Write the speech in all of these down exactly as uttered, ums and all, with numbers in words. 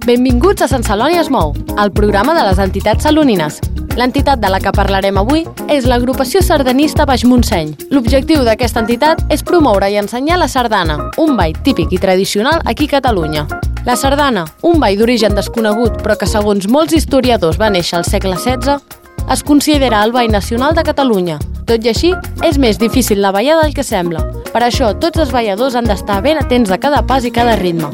Benvinguts a Sant Celoni es mou, el programa de les entitats salonines. L'entitat de la que parlarem avui és l'agrupació sardanista Baix Montseny. L'objectiu d'aquesta entitat és promoure i ensenyar la sardana, un ball típic i tradicional aquí a Catalunya. La sardana, un ball d'origen desconegut però que segons molts historiadors va néixer al segle setze, es considera el ball nacional de Catalunya. Tot i així, és més difícil la ballada del que sembla. Per això, tots els balladors han d'estar ben atents a cada pas i cada ritme.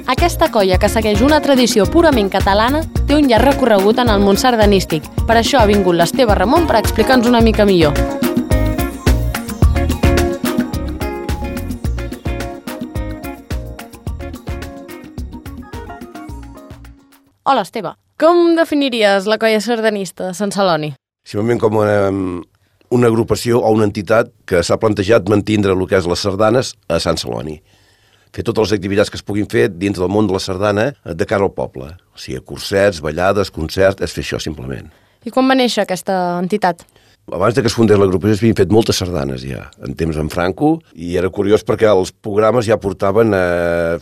Aquesta colla, que segueix una tradició purament catalana, té un llarg recorregut en el món sardanístic. Per això ha vingut l'Esteve Ramon per explicar-nos una mica millor. Hola, Esteve. Com definiries la colla sardanista de Sant Celoni? Simplement com una, una agrupació o una entitat que s'ha plantejat mantindre el que és les sardanes a Sant Celoni. Fer totes les activitats que es puguin fer dins del món de la sardana de cara al poble. O sigui, cursets, ballades, concerts, és fer això simplement. I quan va néixer aquesta entitat? Abans de que es fundés l'agrupació s'havien fet moltes sardanes ja, en temps en Franco, i era curiós perquè els programes ja portaven a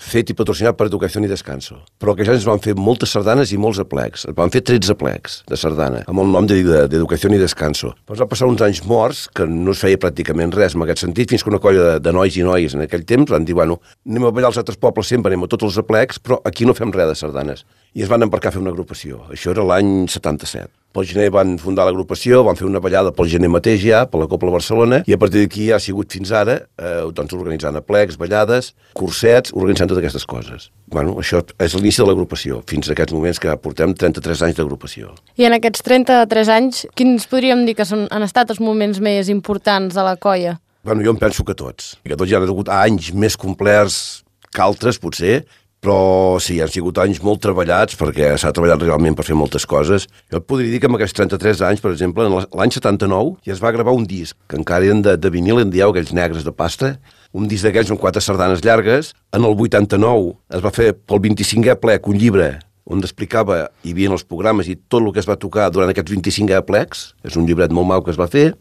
fet i patrocinat per Educació i Descanso. Però aquells anys es van fer moltes sardanes i molts aplecs. Es van fer tretze aplecs de sardana, amb el nom d'Educació i Descanso. Però va passar uns anys morts, que no es feia pràcticament res en aquest sentit, fins que una colla de, de nois i noies en aquell temps van dir, bueno, anem a ballar als altres pobles sempre, anem a tots els aplecs, però aquí no fem res de sardanes. I es van embarcar a fer una agrupació. Això era l'any setanta-set. Pel gener van fundar l'agrupació, van fer una ballada pel gener mateix ja, per la Cobla Barcelona, i a partir d'aquí ha sigut fins ara, eh, doncs organitzant aplecs, ballades, cursets, organitzant totes aquestes coses. Bueno, això és l'inici de l'agrupació, fins a aquests moments que portem trenta-tres anys d'agrupació. I en aquests trenta-tres anys, quins podríem dir que són, han estat els moments més importants de la colla? Bueno, jo em penso que tots. Que tots ja han hagut anys més complerts que altres, potser, però sí, han sigut anys molt treballats perquè s'ha treballat realment per fer moltes coses. Jo et podria dir que en aquests trenta-tres anys, per exemple, l'any setanta-nou ja es va gravar un disc, que encara eren de, de vinil, en dieu, aquells negres de pasta, un disc d'aquells amb quatre sardanes llargues. En el vuitanta-nou es va fer pel vint-i-cinquè plec un llibre on explicava, hi havia els programes i tot el que es va tocar durant aquests vint-i-cinc plecs. És un llibret molt mau que es va fer.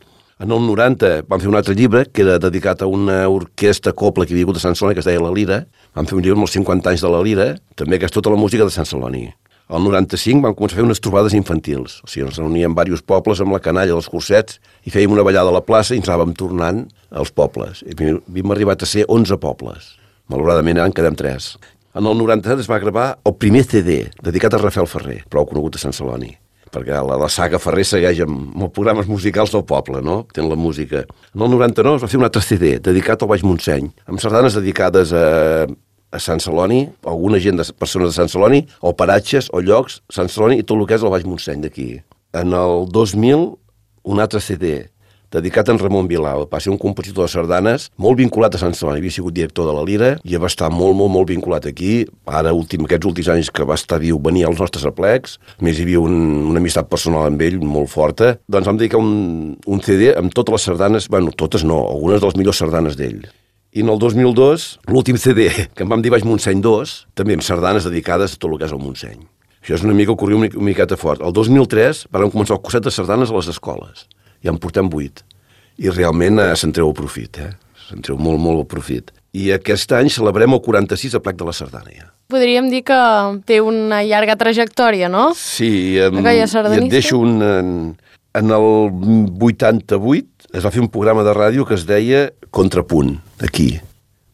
En el noranta van fer un altre llibre que era dedicat a una orquestra copla que hi havia hagut a Sant Celoni, que es deia La Lira. Van fer un llibre amb els cinquanta anys de La Lira, també que és tota la música de Sant Celoni. El noranta-cinc van començar a fer unes trobades infantils. O sigui, ens reuníem diversos pobles amb la canalla dels cursets i fèiem una ballada a la plaça i ens anàvem tornant als pobles. I havíem arribat a ser onze pobles. Malauradament en quedem tres. En el noranta-set es va gravar el primer C D dedicat a Rafael Ferrer, prou conegut a Sant Celoni, perquè la, la saga Ferrer segueix amb, amb els programes musicals del poble, no? Tenen la música. En el noranta-nou es va fer un altre C D dedicat al Baix Montseny, amb sardanes dedicades a, a Sant Celoni, a alguna gent de persones de Sant Celoni, o paratges, o llocs, Sant Celoni i tot el que és el Baix Montseny d'aquí. En el dos mil, un altre C D dedicat a en Ramon Bilal. Va ser un compositor de sardanes molt vinculat a Sant Celoni. Havia sigut director de la Lira i va estar molt, molt, molt vinculat aquí. Ara, últim, aquests últims anys que va estar viu, venia als nostres aplecs. A més, hi havia un, una amistat personal amb ell molt forta. Doncs vam dedicar un, un C D amb totes les sardanes, bueno, totes no, algunes de les millors sardanes d'ell. I en el dos mil dos, l'últim C D, que en vam dir Baix Montseny dos, també amb sardanes dedicades a tot el que és el Montseny. Això és una mica, corria una miqueta fort. El dos mil tres vam començar el curset de sardanes a les escoles. Ja en portem vuit. I realment eh, se'n treu el profit, eh? Se'n treu molt, molt el profit. I aquest any celebrem el quaranta-sis aplec de la sardana, ja. Podríem dir que té una llarga trajectòria, no? Sí, em, i et deixo un... En, en el vuitanta-vuit es va fer un programa de ràdio que es deia Contrapunt, aquí.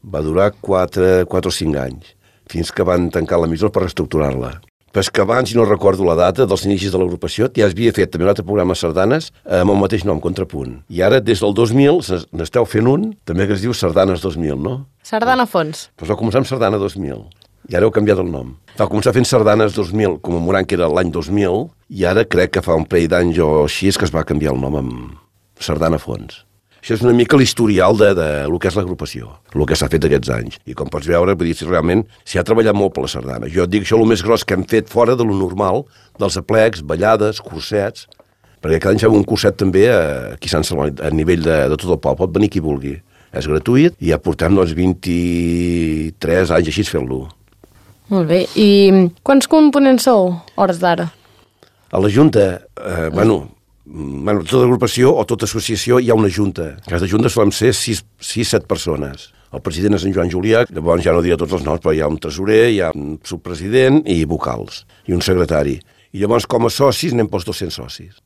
Va durar quatre, quatre o cinc anys, fins que van tancar l'emissora per reestructurar-la. Però és que abans, si no recordo la data, dels inicis de l'agrupació, ja es havia fet també un altre programa de sardanes amb el mateix nom, Contrapunt. I ara, des del dos mil, n'esteu fent un, també que es diu Sardanes dos mil, no? Sardana Fons. Doncs va començar amb Sardana dos mil, i ara heu canviat el nom. Va començar fent Sardanes dos mil, commemorant que era l'any dos mil, i ara crec que fa un parell d'anys o així és que es va canviar el nom amb Sardana Fons. Això és una mica l'historial de, de lo que és l'agrupació, el que s'ha fet aquests anys. I com pots veure, vull dir, realment s'hi ha treballat molt per la sardana. Jo et dic això el més gros que hem fet fora de lo normal, dels aplecs, ballades, cursets, perquè cada any fem un curset també aquí a Sant Celoni, a nivell de, de tot el poble, pot venir qui vulgui. És gratuït i ja portem doncs, vint-i-tres anys així fent-lo. Molt bé. I quants components sou, hores d'ara? A la Junta, eh, bueno, Bueno, tota agrupació o tota associació hi ha una junta. Aquesta junta solen ser sis set persones. El president és en Joan Julià, llavors ja no diré tots els noms, però hi ha un tresorer, hi ha un subpresident i vocals, i un secretari. I llavors, com a socis, anem pels dos-cents socis.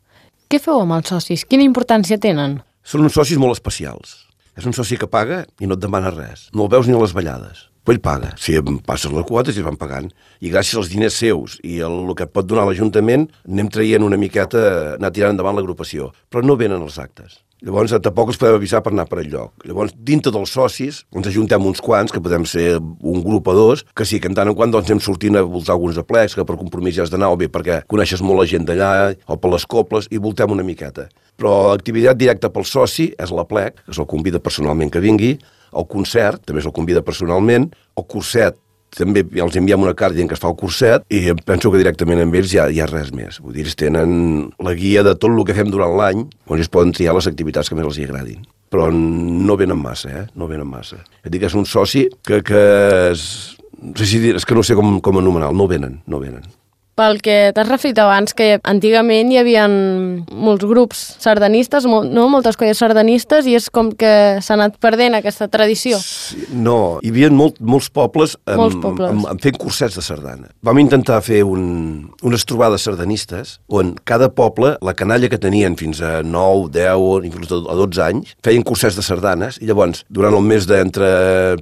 Què feu amb els socis? Quina importància tenen? Són uns socis molt especials. És un soci que paga i no et demana res. No el veus ni a les ballades. Però ell paga. Si passes les quotes i es van pagant. I gràcies als diners seus i el, el que et pot donar l'Ajuntament, anem traient una miqueta, anar tirant endavant l'agrupació. Però no venen els actes. Llavors, tampoc els podem avisar per anar per enlloc. Llavors, dintre dels socis, ens ajuntem uns quants, que podem ser un grup o dos, que sí, que en tant en quant doncs, anem sortint a voltar alguns aplecs, que per compromís ja has d'anar, o bé perquè coneixes molt la gent d'allà, o per les cobles, i voltem una miqueta. Però l'activitat directa pel soci és l'aplec, que se'l convida personalment que vingui, el concert, també se'l convida personalment, el curset, també els enviem una carta dient que es fa el curset i penso que directament amb ells ja hi ha res més. Vull dir, ells tenen la guia de tot el que fem durant l'any, on ells poden triar les activitats que més els hi agradin. Però no venen massa, eh? No venen massa. Et dic que és un soci que, que és... No sé si dir, és que no sé com, com anomenar-lo, no venen, no venen. Pel que t'has referit abans, que antigament hi havia molts grups sardanistes, no? Moltes colles sardanistes, i és com que s'ha anat perdent aquesta tradició. Sí, no, hi havia molt, molts pobles, amb, molts pobles. Amb, amb fent cursets de sardana. Vam intentar fer un, unes trobades sardanistes, on cada poble, la canalla que tenien fins a nou, deu, inclús a dotze anys, feien cursets de sardanes, i llavors, durant el mes d'entre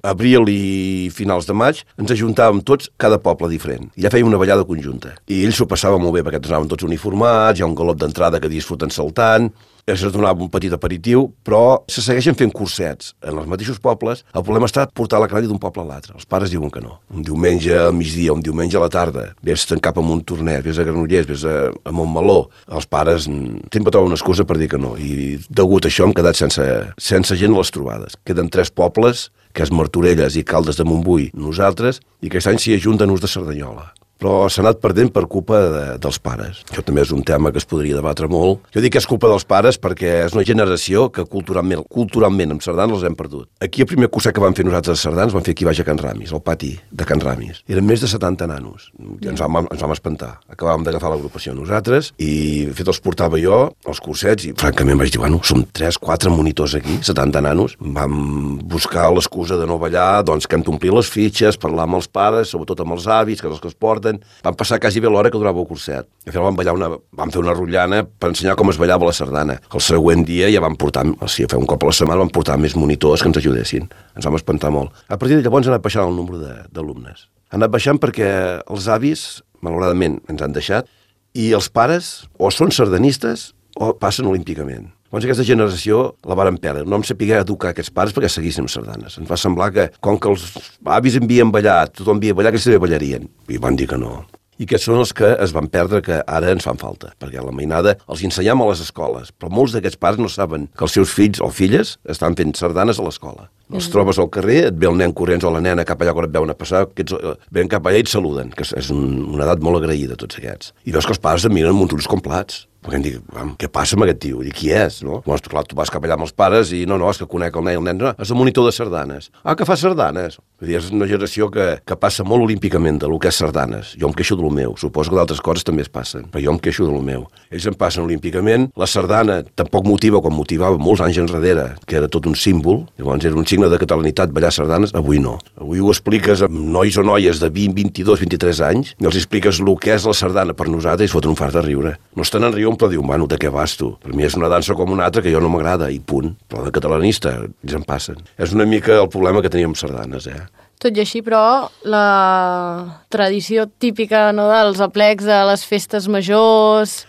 abril i finals de maig, ens ajuntàvem tots, cada poble diferent. I ja fèiem una ballada conjunta. I ells s'ho passaven molt bé, perquè anaven tots uniformats, hi ha un galop d'entrada que disfruten saltant, es donava un petit aperitiu, però se segueixen fent cursets en els mateixos pobles. El problema està portar la canalla d'un poble a l'altre. Els pares diuen que no. Un diumenge al migdia, un diumenge a la tarda, vés-te'n cap a Montornès, vés a Granollers, vés a, a Montmeló. Els pares sempre troben una excusa per dir que no. I degut a això hem quedat sense, sense gent a les trobades. Queden tres pobles, que és Martorelles i Caldes de Montbui, nosaltres, i aquest any s'hi ajunten uns de Cerdanyola. Però s'ha anat perdent per culpa de, dels pares. Això també és un tema que es podria debatre molt. Jo dic que és culpa dels pares perquè és una generació que culturalment, culturalment amb sardanes els hem perdut. Aquí el primer curset que vam fer nosaltres de sardanes vam fer aquí baix a Can Ramis, al pati de Can Ramis. Eren més de setanta nanos. I ens vam, ens vam espantar. Acabàvem d'agafar l'agrupació nosaltres i fet els portava jo, els cursets, i francament vaig dir, bueno, som tres, quatre monitors aquí, setanta nanos. Vam buscar l'excusa de no ballar, doncs que hem d'omplir les fitxes, parlar amb els pares, sobretot amb els avis, que és els que es porten. Vam passar quasi bé l'hora que durava el curset. Al final vam, ballar una, vam fer una rotllana per ensenyar com es ballava la sardana. El següent dia ja vam portar, o sigui, fer un cop a la setmana vam portar més monitors que ens ajudessin. Ens vam espantar molt. A partir de llavors ha anat baixant el nombre d'alumnes. Ha anat baixant perquè els avis, malauradament, ens han deixat, i els pares o són sardanistes o passen olímpicament. Llavors aquesta generació la varen perdre. No em sapigué educar aquests pares perquè seguissin amb sardanes. Ens va semblar que, com que els avis havien ballat, tothom havia ballat, que ells també ballarien. I van dir que no. I aquests són els que es van perdre, que ara ens fan falta, perquè a la mainada els ensenyam a les escoles, però molts d'aquests pares no saben que els seus fills o filles estan fent sardanes a l'escola. Els mm. trobes al carrer, et ve el nen corrents o la nena cap allà quan et veuen a passar, que ets, ven cap allà i et saluden, que és un, una edat molt agraïda, tots aquests. I veus que els pares et miren amb uns ulls com plats. Perquè em dic, què passa amb aquest tio? I qui és? No? Llavors, clar, tu vas cap allà amb els pares i no, no, és que conec el nen i el nen, no, és el monitor de sardanes. Ah, que fa sardanes? Vull dir, és una generació que, que passa molt olímpicament de lo que és sardanes. Jo em queixo de lo meu, suposo que d'altres coses també es passen, però jo em queixo de lo meu. Ells em passen olímpicament, la sardana tampoc motiva com motivava molts anys enrere, que era tot un símbol, llavors era un signe de catalanitat ballar sardanes, avui no. Avui ho expliques amb nois o noies de vint, vint-i-dos, vint-i-tres anys, i els expliques el que és la sardana per nosaltres i foten un fart de riure. No estan en riure, però diuen, bueno, de què vas tu? Per mi és una dansa com una altra que jo no m'agrada, i punt. Però de catalanista, ells en passen. És una mica el problema que teníem amb sardanes, eh? Tot i així, però, la tradició típica, no, dels aplecs de les festes majors...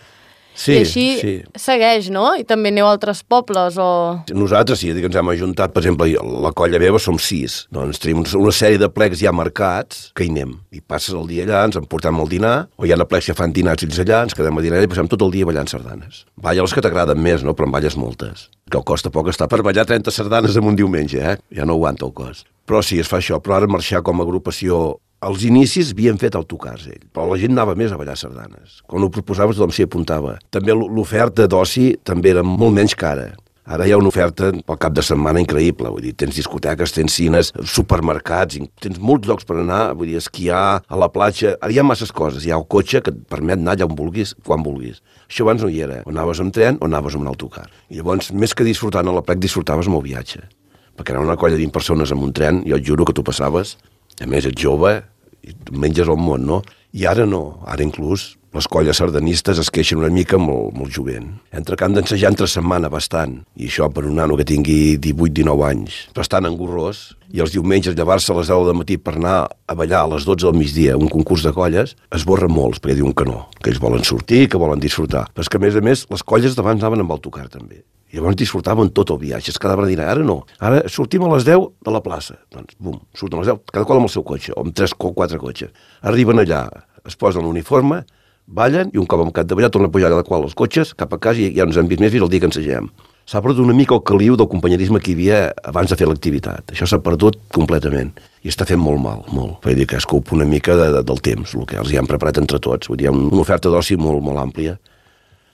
Sí, i així sí. Segueix, no? I també aneu a altres pobles, o... Nosaltres sí, que ens hem ajuntat, per exemple, la colla meva som sis, doncs tenim una sèrie de plecs ja marcats, que hi anem. I passes el dia allà, ens en portem al dinar, o hi ha plecs que fan dinars ells allà, ens quedem a dinar i passem tot el dia ballant sardanes. Balla les que t'agraden més, no? Però en balles moltes. Que el costa poc estar per ballar trenta sardanes en un diumenge, eh? Ja no aguanta el cos. Però sí, es fa això, però ara marxar com a agrupació... Als inicis havien fet autocars, ell, però la gent anava més a ballar sardanes. Quan ho proposaves tothom s'hi apuntava. També l'oferta d'oci també era molt menys cara. Ara hi ha una oferta pel cap de setmana increïble, vull dir, tens discoteques, tens cines, supermercats, tens molts llocs per anar, vull dir, esquiar, a la platja, ara hi ha masses coses, hi ha el cotxe que et permet anar allà on vulguis, quan vulguis. Això abans no hi era, o anaves amb tren o anaves amb un autocar. I llavors, més que disfrutant a la plec, disfrutaves amb el viatge, perquè era una colla de vint persones amb un tren, jo et juro que tu passaves, a més ets jove, i menges el món, no? I ara no, ara inclús les colles sardanistes es queixen una mica molt, molt jovent. Entre que han d'ensejar entre setmana bastant, i això per un nano que tingui divuit dinou anys, bastant engorrós, i els diumenges llevar-se a les deu del matí per anar a ballar a les dotze del migdia un concurs de colles, es borren molts, perquè diuen que no, que ells volen sortir, que volen disfrutar. Però és que, a més a més, les colles d'abans anaven amb autocar, també. I llavors disfrutaven tot el viatge, es quedaven a dinar. Ara no, ara sortim a les deu de la plaça. Doncs, bum, surten a les deu, cada qual amb el seu cotxe, o amb tres o quatre cotxes. Arriben allà, es posen l'uniforme, ballen i un cop amb cap de ballar torna a pujar cada qual als cotxes, cap a casa i ja ens hem vist més fins el dia que ensegem. S'ha perdut una mica el caliu del companyerisme que hi havia abans de fer l'activitat. Això s'ha perdut completament i està fent molt mal, molt. Vull dir que es culpa una mica de, de, del temps, el que els hi han preparat entre tots. Vull dir, hi ha una oferta d'oci molt, molt àmplia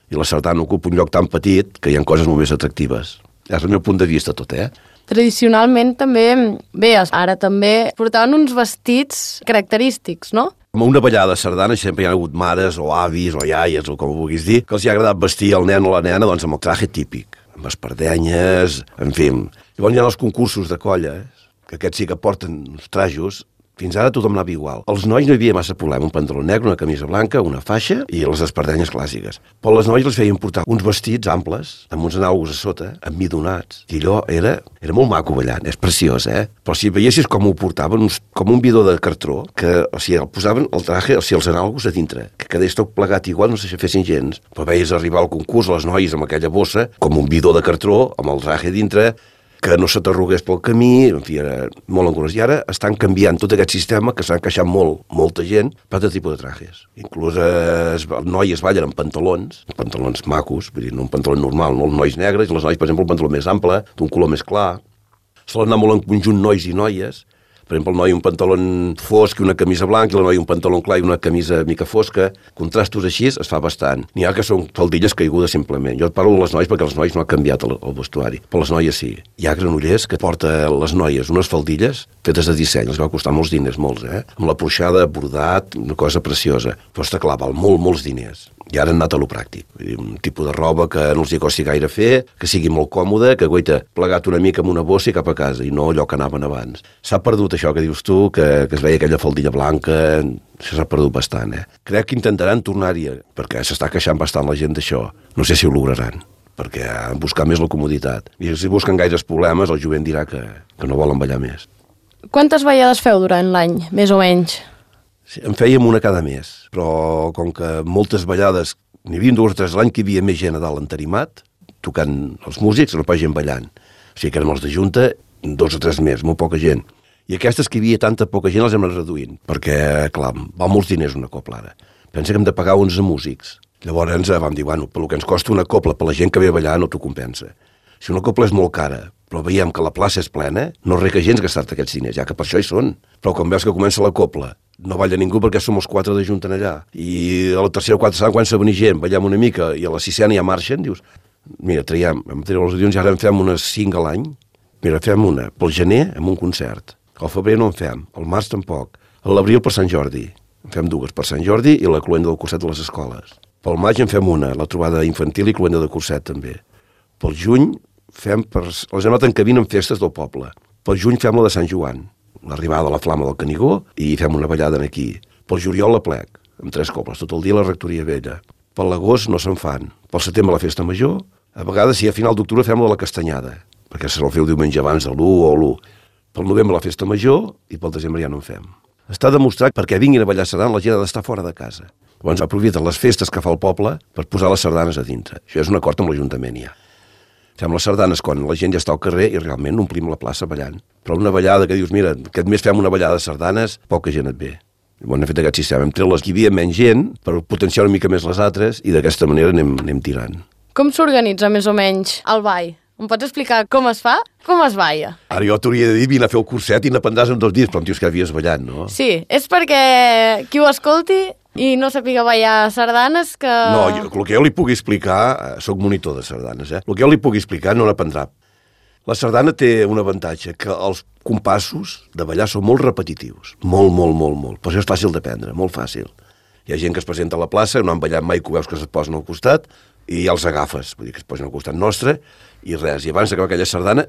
i la sardana ocupa un lloc tan petit que hi ha coses molt més atractives. És el meu punt de vista tot, eh? Tradicionalment també, bé, ara també portaven uns vestits característics, no? Com una ballada de sardana sempre hi ha hagut mares o avis o iaies o com ho vulguis dir, que els hi ha agradat vestir el nen o la nena doncs, amb el traje típic, amb espardenyes, en fi. Llavors hi ha els concursos de colles, que aquests sí que porten uns trajos. Fins ara tothom anava igual. Els nois no hi havia massa problema, un pantaló negre, una camisa blanca, una faixa i les espardenyes clàssiques. Però les noies les feien portar uns vestits amples, amb uns anàlogos a sota, emmidonats. I allò era, era molt maco ballant, és preciós, eh? Però si veiessis com ho portaven, uns, com un bidó de cartró, que o sigui, el posaven el traje, o sigui, els anàlogos a dintre, que quedés tot plegat igual, no sé si fessin gens. Però veies arribar al concurs les noies amb aquella bossa, com un bidó de cartró, amb el traje a dintre, que no se t'arrugués pel camí, en fi, era molt engorós. I ara estan canviant tot aquest sistema, que s'ha encaixat molt, molta gent, per tot tipus de trajes. Inclús eh, noies ballen amb pantalons, pantalons macos, vull dir, no un pantaló normal, no els nois negres, i les noies, per exemple, un pantaló més ample, d'un color més clar. Solen anar molt en conjunt nois i noies. Per exemple, el noi un pantaló fosc i una camisa blanca, i la noia un pantaló clar i una camisa mica fosca. Contrastos així es fa bastant. N'hi ha que són faldilles caigudes simplement. Jo et parlo de les noies perquè les noies no han canviat el, el vestuari, però les noies sí. Hi ha granollers que porta les noies unes faldilles fetes de disseny, els va costar molts diners, molts, eh? Amb la porxada, bordat, una cosa preciosa. Però està clar, val molt, molts diners. I ara han anat a lo pràctic. Vull dir, un tipus de roba que no els hi costi gaire fer, que sigui molt còmode, que guaita plegat una mica amb una bossa i cap a casa, i no allò que anaven abans. S'ha perdut això que dius tu, que, que es veia aquella faldilla blanca, això s'ha perdut bastant, eh? Crec que intentaran tornar-hi, perquè s'està queixant bastant la gent d'això. No sé si ho lograran, perquè han buscat més la comoditat. I si busquen gaires problemes, el jovent dirà que, que no volen ballar més. Quantes ballades feu durant l'any, més o menys? Sí, en fèiem una cada mes, però com que moltes ballades, n'hi havia dues o tres l'any que hi havia més gent a dalt entarimat, tocant els músics, no pas gent ballant. O sigui que érem els de junta, dos o tres més, molt poca gent. I aquestes que hi havia tanta poca gent les hem anat reduint, perquè, clar, val molts diners una copla ara. Pensa que hem de pagar onze músics. Llavors ens vam dir, bueno, pel que ens costa una copla per la gent que ve a ballar no t'ho compensa. Si una copla és molt cara, però veiem que la plaça és plena, no reca gens gastar-te aquests diners, ja que per això hi són. Però quan veus que comença la copla, no balla ningú perquè som els quatre de junta allà. I a la tercera o quarta saben quan s'ha venir gent, ballem una mica, i a la sisena ja marxen, dius, mira, traiem, vam treure els audions i ara en fem unes cinc a l'any. Mira, fem una pel gener amb un concert. Al febrer no en fem, al març tampoc. A l'abril per Sant Jordi. En fem dues per Sant Jordi i la cluenda del curset de les escoles. Pel maig en fem una, la trobada infantil i cluenda de curset també. Pel juny fem per... les hem anat encabint en festes del poble. Pel juny fem la de Sant Joan, l'arribada de la Flama del Canigó, i fem una ballada aquí. Pel juliol la plec, amb tres cobles, tot el dia a la rectoria vella. Per l'agost no se'n fan. Pel setembre la festa major. A vegades, si a final d'octubre fem la de la castanyada, perquè se la feu diumenge abans de l'u o l'u. Pel novembre la festa major i pel desembre ja no en fem. Està demostrat que perquè vinguin a ballar sardana la gent ha d'estar fora de casa. Llavors aprofiten les festes que fa el poble per posar les sardanes a dintre. Això és un acord amb l'Ajuntament ja. Fem les sardanes quan la gent ja està al carrer i realment omplim la plaça ballant. Però una ballada que dius, mira, aquest mes fem una ballada de sardanes, poca gent et ve. Llavors hem fet aquest sistema. Hem tret les que hi havia menys gent per potenciar una mica més les altres i d'aquesta manera anem, anem tirant. Com s'organitza més o menys el ball? Em pots explicar com es fa? Com es balla? Ara jo t'hauria de dir, vine a fer el curset i n'aprendràs en dos dies, però em dius que havies ballat, no? Sí, és perquè qui ho escolti I no sàpiga ballar sardanes que... No, jo, el que jo li pugui explicar, soc monitor de sardanes, eh? El que jo li pugui explicar no n'aprendrà. La sardana té un avantatge, que els compassos de ballar són molt repetitius. Molt, molt, molt, molt. Per això és fàcil d'aprendre, molt fàcil. Hi ha gent que es presenta a la plaça, no han ballat mai, que ho veus que es posen al costat, i els agafes, vull dir que es posen al costat nostre, i res. I abans d'acabar aquella sardana,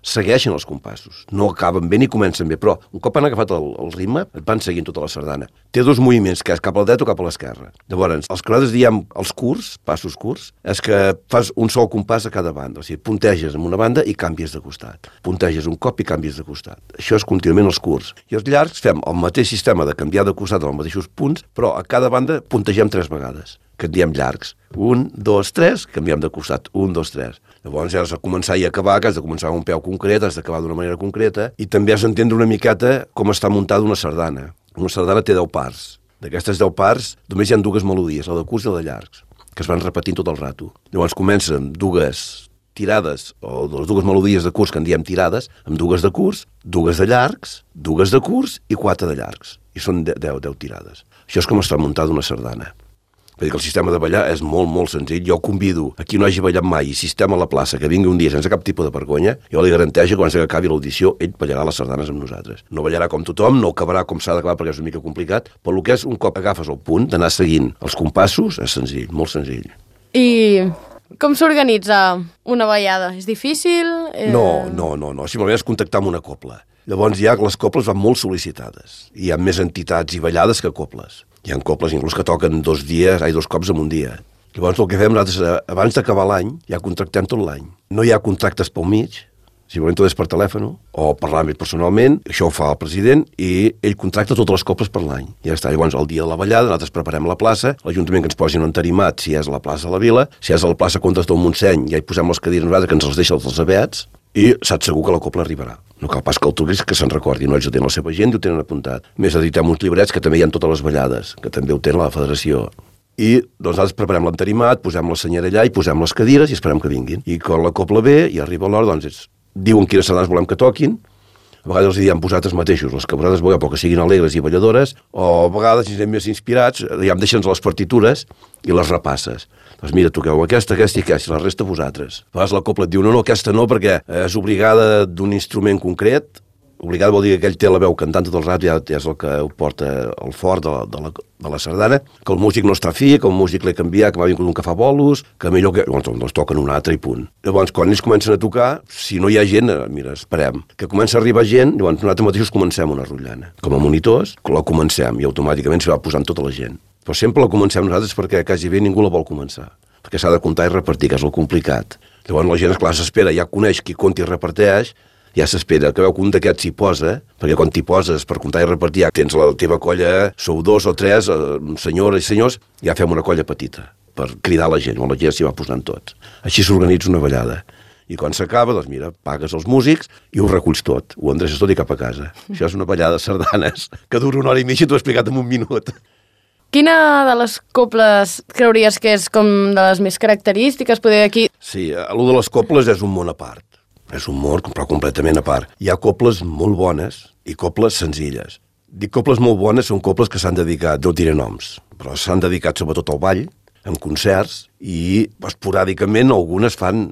segueixen els compassos. No acaben bé ni comencen bé, però un cop han agafat el, el ritme, et van seguint tota la sardana. Té dos moviments, que és cap al dret o cap a l'esquerra. Llavors, els que nosaltres diem els curts, passos curts, és que fas un sol compàs a cada banda. O sigui, punteges en una banda i canvies de costat. Punteges un cop i canvies de costat. Això és contínuament els curts. I els llargs fem el mateix sistema de canviar de costat als mateixos punts, però a cada banda puntegem tres vegades, que en diem llargs. Un, dos, tres, canviem de costat. Un, dos, tres. Llavors ja has de començar i acabar, que has de començar amb un peu concret, has d'acabar d'una manera concreta, i també has d'entendre una miqueta com està muntada una sardana. Una sardana té deu parts. D'aquestes deu parts, només hi ha dues melodies, la de curts i la de llargs, que es van repetint tot el rato. Llavors comença amb dues tirades, o les dues melodies de curts que en diem tirades, amb dues de curts, dues de llargs, dues de curts i quatre de llargs. I són deu, deu tirades. Això és com està muntada una sardana. Vull dir que el sistema de ballar és molt, molt senzill. Jo convido a qui no hagi ballat mai i sistema a la plaça que vingui un dia sense cap tipus de vergonya, jo li garanteixo que quan acabi l'audició ell ballarà les sardanes amb nosaltres. No ballarà com tothom, no acabarà com s'ha d'acabar perquè és una mica complicat, però el que és un cop agafes el punt d'anar seguint els compassos és senzill, molt senzill. I com s'organitza una ballada? És difícil? Eh... No, no, no, no. Simplement és contactar amb una copla. Llavors ja les coples van molt sol·licitades. Hi ha més entitats i ballades que coples. Hi ha coples inclús que toquen dos dies, ai, dos cops en un dia. Llavors el que fem nosaltres, abans d'acabar l'any, ja contractem tot l'any. No hi ha contractes pel mig, simplement tot és per telèfon, o parlar-me personalment, això ho fa el president, i ell contracta totes les coples per l'any. Ja està, llavors el dia de la ballada, nosaltres preparem la plaça, l'Ajuntament que ens posi un entarimat, si és a la plaça de la Vila, si és a la plaça Comtes del Montseny, ja hi posem les cadires nosaltres que ens les deixa els abets, i saps segur que la copla arribarà. No cal pas que el truquis que se'n recordi, no ells ho tenen la seva gent i ho tenen apuntat. A més, editem uns llibrets que també hi ha totes les ballades, que també ho tenen la federació. I doncs nosaltres preparem l'entarimat, posem la senyera allà i posem les cadires i esperem que vinguin. I quan la copla ve i arriba l'hora, doncs és, diuen quines sardanes volem que toquin, a vegades els diem vosaltres mateixos, les que vosaltres vulgueu, perquè siguin alegres i balladores, o a vegades, si anem més inspirats, ja em deixen les partitures i les repasses. Doncs mira, toqueu aquesta, aquesta i aquesta, i la resta vosaltres. A vegades la copla et diu, no, no, aquesta no, perquè és obligada d'un instrument concret. Obligada vol dir que aquell té la veu cantant tot el rato, ja és el que ho porta el fort de la, de la, de la sardana, que el músic no està fi, que el músic l'he canviat, que m'ha vingut un que fa bolos, que millor que... Llavors, doncs toquen un altre i punt. Llavors, quan ells comencen a tocar, si no hi ha gent, mira, esperem, que comença a arribar gent, llavors nosaltres mateixos comencem una rotllana. Com a monitors, la comencem i automàticament s'hi va posant tota la gent. Però sempre la comencem nosaltres perquè quasi bé ningú la vol començar, perquè s'ha de comptar i repartir, que és el complicat. Llavors la gent, esclar, s'espera, ja coneix qui compta i reparteix, ja s'espera que veu que un d'aquests s'hi posa, perquè quan t'hi poses per comptar i repartir, ja tens la teva colla, sou dos o tres, senyores i senyors, ja fem una colla petita, per cridar la gent, on la gent s'hi va posant tots. Així s'organitza una ballada. I quan s'acaba, doncs mira, pagues els músics i ho reculls tot, ho endreces tot i cap a casa. Això és una ballada de sardanes, que dura una hora i mitja i t'ho he explicat en un minut. Quina de les coples creuries que és com de les més característiques? Poder aquí... Sí, allò de les coples és un món a part. És un món, però completament a part. Hi ha coples molt bones i coples senzilles. Dic coples molt bones són coples que s'han dedicat, no diré noms, però s'han dedicat sobretot al ball, en concerts, i esporàdicament algunes fan,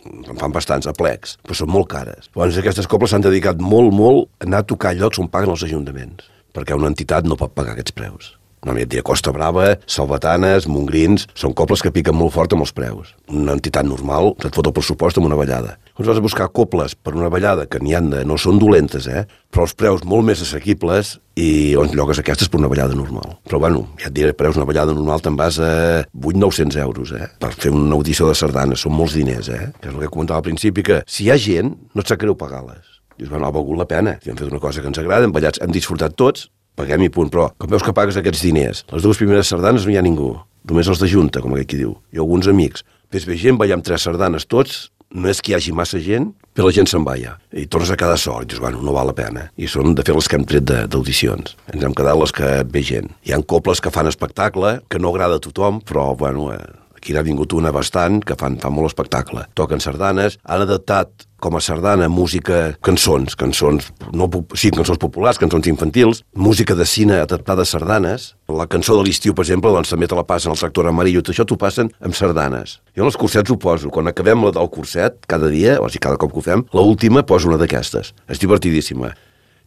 en fan bastants aplecs, però són molt cares. Llavors aquestes coples s'han dedicat molt, molt a anar a tocar llocs on paguen els ajuntaments, perquè una entitat no pot pagar aquests preus. No, et diré Costa Brava, Salvatanes, Montgrins, són cobles que piquen molt fort amb els preus. Una entitat normal et fot el pressupost amb una ballada. Llavors vas a buscar coples per una ballada que n'hi han de... no són dolentes, eh? Però els preus molt més assequibles i on llogues aquestes per una ballada normal. Però bueno, ja et diré, preus una ballada normal te'n vas a vuit cents nou cents euros, eh? Per fer una audició de sardanes, són molts diners, eh? Que és el que comentava al principi, que si hi ha gent, no et sap greu pagar-les. Dius, bueno, ha valgut la pena. Si hem fet una cosa que ens agrada, hem ballat, hem disfrutat tots, paguem i punt, però com veus que pagues aquests diners, les dues primeres sardanes no hi ha ningú, només els de junta, com aquell qui diu, i alguns amics. Ves bé gent, ballem tres sardanes tots, no és que hi hagi massa gent, però la gent se'n balla, i tornes a quedar sol, i dius, bueno, no val la pena. I són, de fet, les que hem tret d'audicions. Ens hem quedat les que ve gent. Hi ha coples que fan espectacle, que no agrada a tothom, però, bueno, eh, aquí n'ha vingut una bastant, que fan, fan molt espectacle. Toquen sardanes, han adaptat com a sardana, música, cançons, cançons, no, sí, cançons populars, cançons infantils, música de cine adaptada a sardanes. La cançó de l'estiu, per exemple, doncs també te la passen al tractor amarillo, tot això t'ho passen amb sardanes. Jo en els cursets ho poso, quan acabem la del curset, cada dia, o sigui, cada cop que ho fem, l'última poso una d'aquestes. És divertidíssima.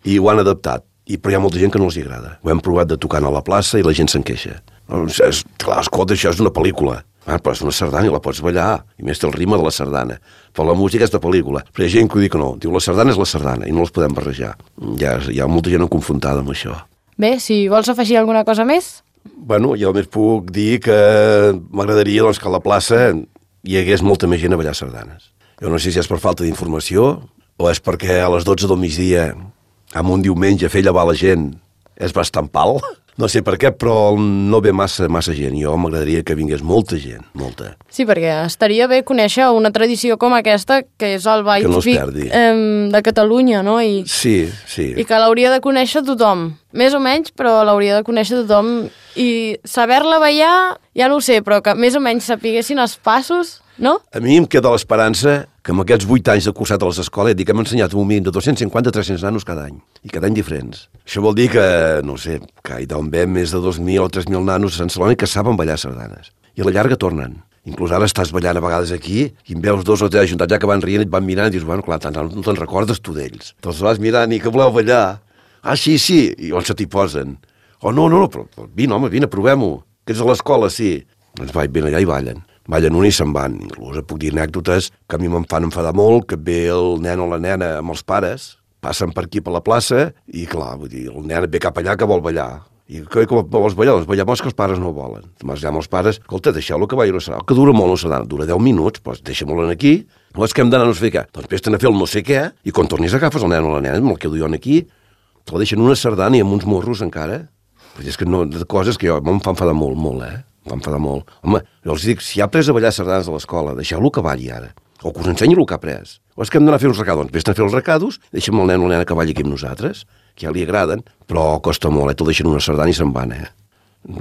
I ho han adaptat. I, però hi ha molta gent que no els agrada. Ho hem provat de tocar a la plaça i la gent se'n queixa. És, clar, escolta, això és una pel·lícula. Ah, però és una sardana i la pots ballar. I més té el ritme de la sardana. Però la música és de pel·lícula. Però hi ha gent que ho diu que no. Diu, la sardana és la sardana i no les podem barrejar. Ja, hi ha molta gent confrontada amb això. Bé, si vols afegir alguna cosa més? Bueno, jo només puc dir que m'agradaria doncs, que a la plaça hi hagués molta més gent a ballar sardanes. Jo no sé si és per falta d'informació o és perquè a les dotze del migdia, amb un diumenge, fer llevar la gent és bastant pal. No sé per què, però no ve massa, massa gent. Jo m'agradaria que vingués molta gent, molta. Sí, perquè estaria bé conèixer una tradició com aquesta, que és el ball no típic eh, de Catalunya, no? I, sí, sí. I que l'hauria de conèixer tothom. Més o menys, però l'hauria de conèixer tothom. I saber-la ballar, ja no ho sé, però que més o menys sapiguessin els passos, no? A mi em queda l'esperança que amb aquests vuit anys de cursat a les escoles dic que hem ensenyat un mínim de dos-cents cinquanta a tres-cents nanos cada any, i cada any diferents. Això vol dir que, no sé, que hi deuen haver més de dos mil o tres mil nanos a Sant Celoni que saben ballar sardanes. I a la llarga tornen. Inclús ara estàs ballant a vegades aquí i en veus dos o tres ajuntats ja que van rient i et van mirant i dius, bueno, clar, no te'n recordes tu d'ells. Te'ls vas mirant i que voleu ballar. Ah, sí, sí, i on se t'hi posen? Oh, no, no, no, però, però vine, home, vine, provem-ho. Que ets a l'escola, sí. Doncs vai, vine allà i ballen. Ballen un i se'n van. Inclús puc dir anècdotes que a mi me'n fan enfadar molt, que ve el nen o la nena amb els pares, passen per aquí per la plaça i, clar, vull dir, el nen ve cap allà que vol ballar. I que, com vols ballar? Doncs ballar que els pares no volen. Mas ja amb els pares, escolta, deixeu-lo que balli una sardana, que dura molt una sardana, dura deu minuts, doncs deixa-me'l aquí, o és que hem d'anar a no sé què. Doncs vés-te'n a fer el no sé què, i quan tornis agafes el nen o la nena, me'l quedo jo aquí, te la deixen una sardana i amb uns morros encara. Però és que no, de coses que jo em fa enfadar molt, molt, eh? Em fa enfadar molt. Home, jo els dic, si ha après a ballar sardanes a l'escola, deixeu-lo que balli ara. O que us ensenyi el que ha après. O és que hem d'anar a fer uns recados. Doncs vés-te'n a fer els recados, deixa'm el nen o la nena que balli aquí amb nosaltres, que ja li agraden, però costa molt, eh? Te'l deixen una sardana i se'n van, eh?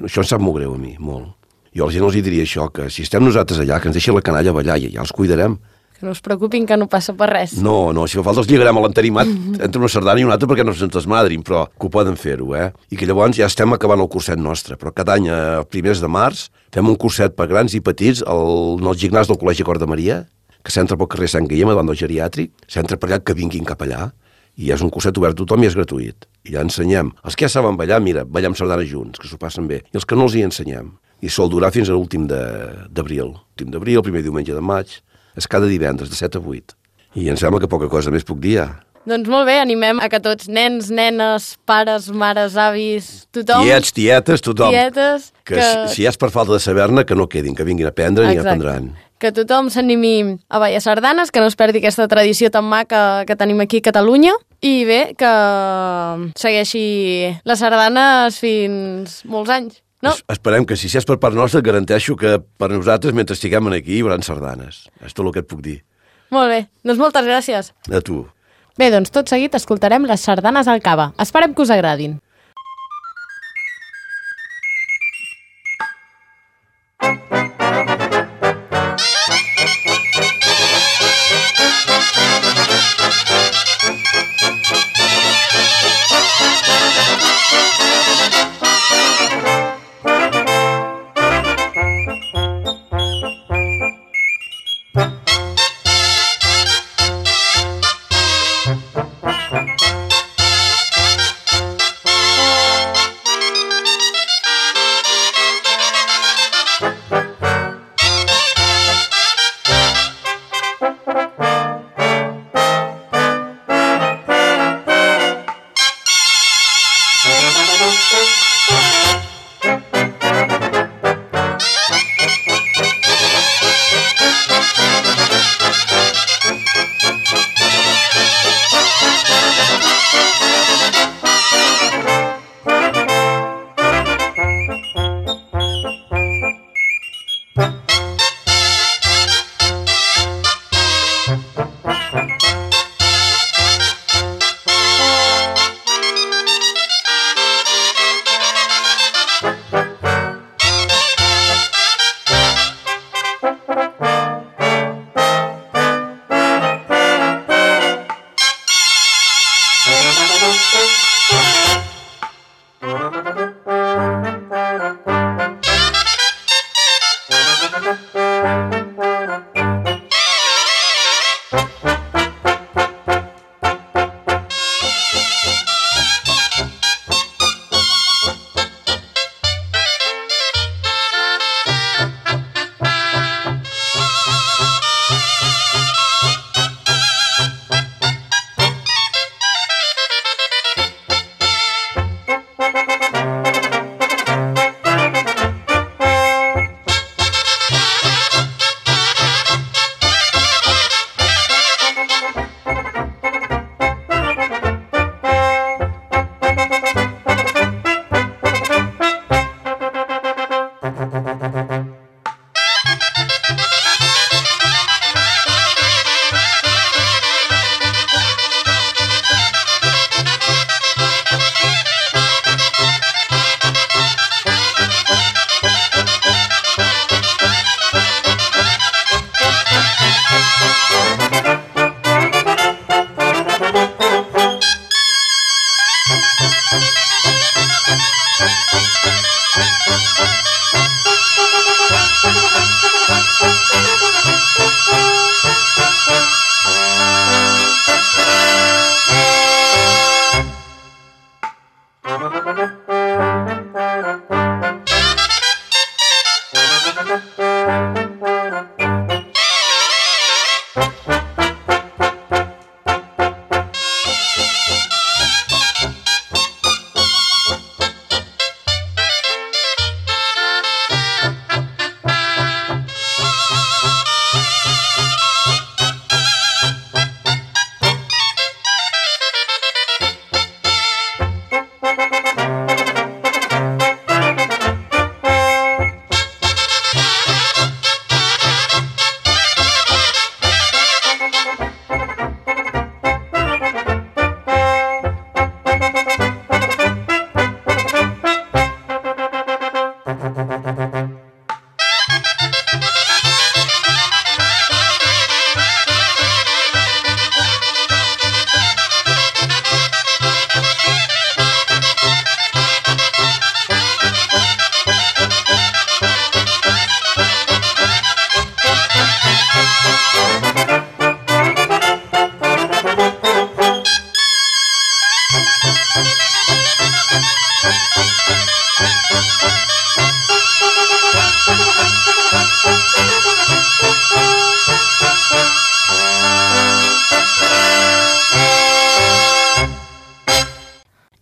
Això em sap molt greu a mi, molt. Jo a la gent els diria això, que si estem nosaltres allà, que ens deixi la canalla ballar i ja els cuidarem. Que no us preocupin, que no passa per res. No, no, si fa falta els lligarem a l'entarimat entre una sardana i una altra perquè no se'ns desmadrin, però que ho poden fer-ho, eh? I que llavors ja estem acabant el curset nostre, però cada any, a primers de març, fem un curset per grans i petits al, al gimnàs del Col·legi Cor de Maria, que s'entra pel carrer Sant Guillem, davant del geriàtric, s'entra per allà, que vinguin cap allà, i és un curset obert a tothom i és gratuït. I ja ensenyem. Els que ja saben ballar, mira, ballem sardanes junts, que s'ho passen bé. I els que no els hi ensenyem. I sol durar fins a l'últim d'abril. Últim d'abril, primer diumenge de maig. És cada divendres, de set a vuit. I em sembla que poca cosa més puc dir, ja. Doncs molt bé, animem a que tots, nens, nenes, pares, mares, avis, tothom... Tiets, tietes, tothom. Tietes... Que, que... Si, si és per falta de saber-ne, que no quedin, que vinguin a aprendre i aprendran. Que tothom s'animi a ballar sardanes, que no es perdi aquesta tradició tan maca que tenim aquí a Catalunya. I bé, que segueixi les sardanes fins molts anys. No. Es, esperem que si és per part nostra, garanteixo que per nosaltres, mentre estiguem aquí, hi haurà sardanes. És tot el que et puc dir. Molt bé, doncs moltes gràcies. A tu. Bé, doncs tot seguit escoltarem les sardanes al Cava. Esperem que us agradin.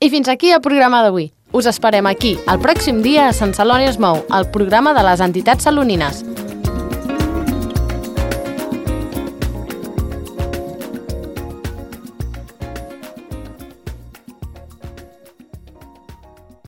I fins aquí el programa d'avui. Us esperem aquí, el pròxim dia a Sant Celoni es mou, el programa de les entitats salonines.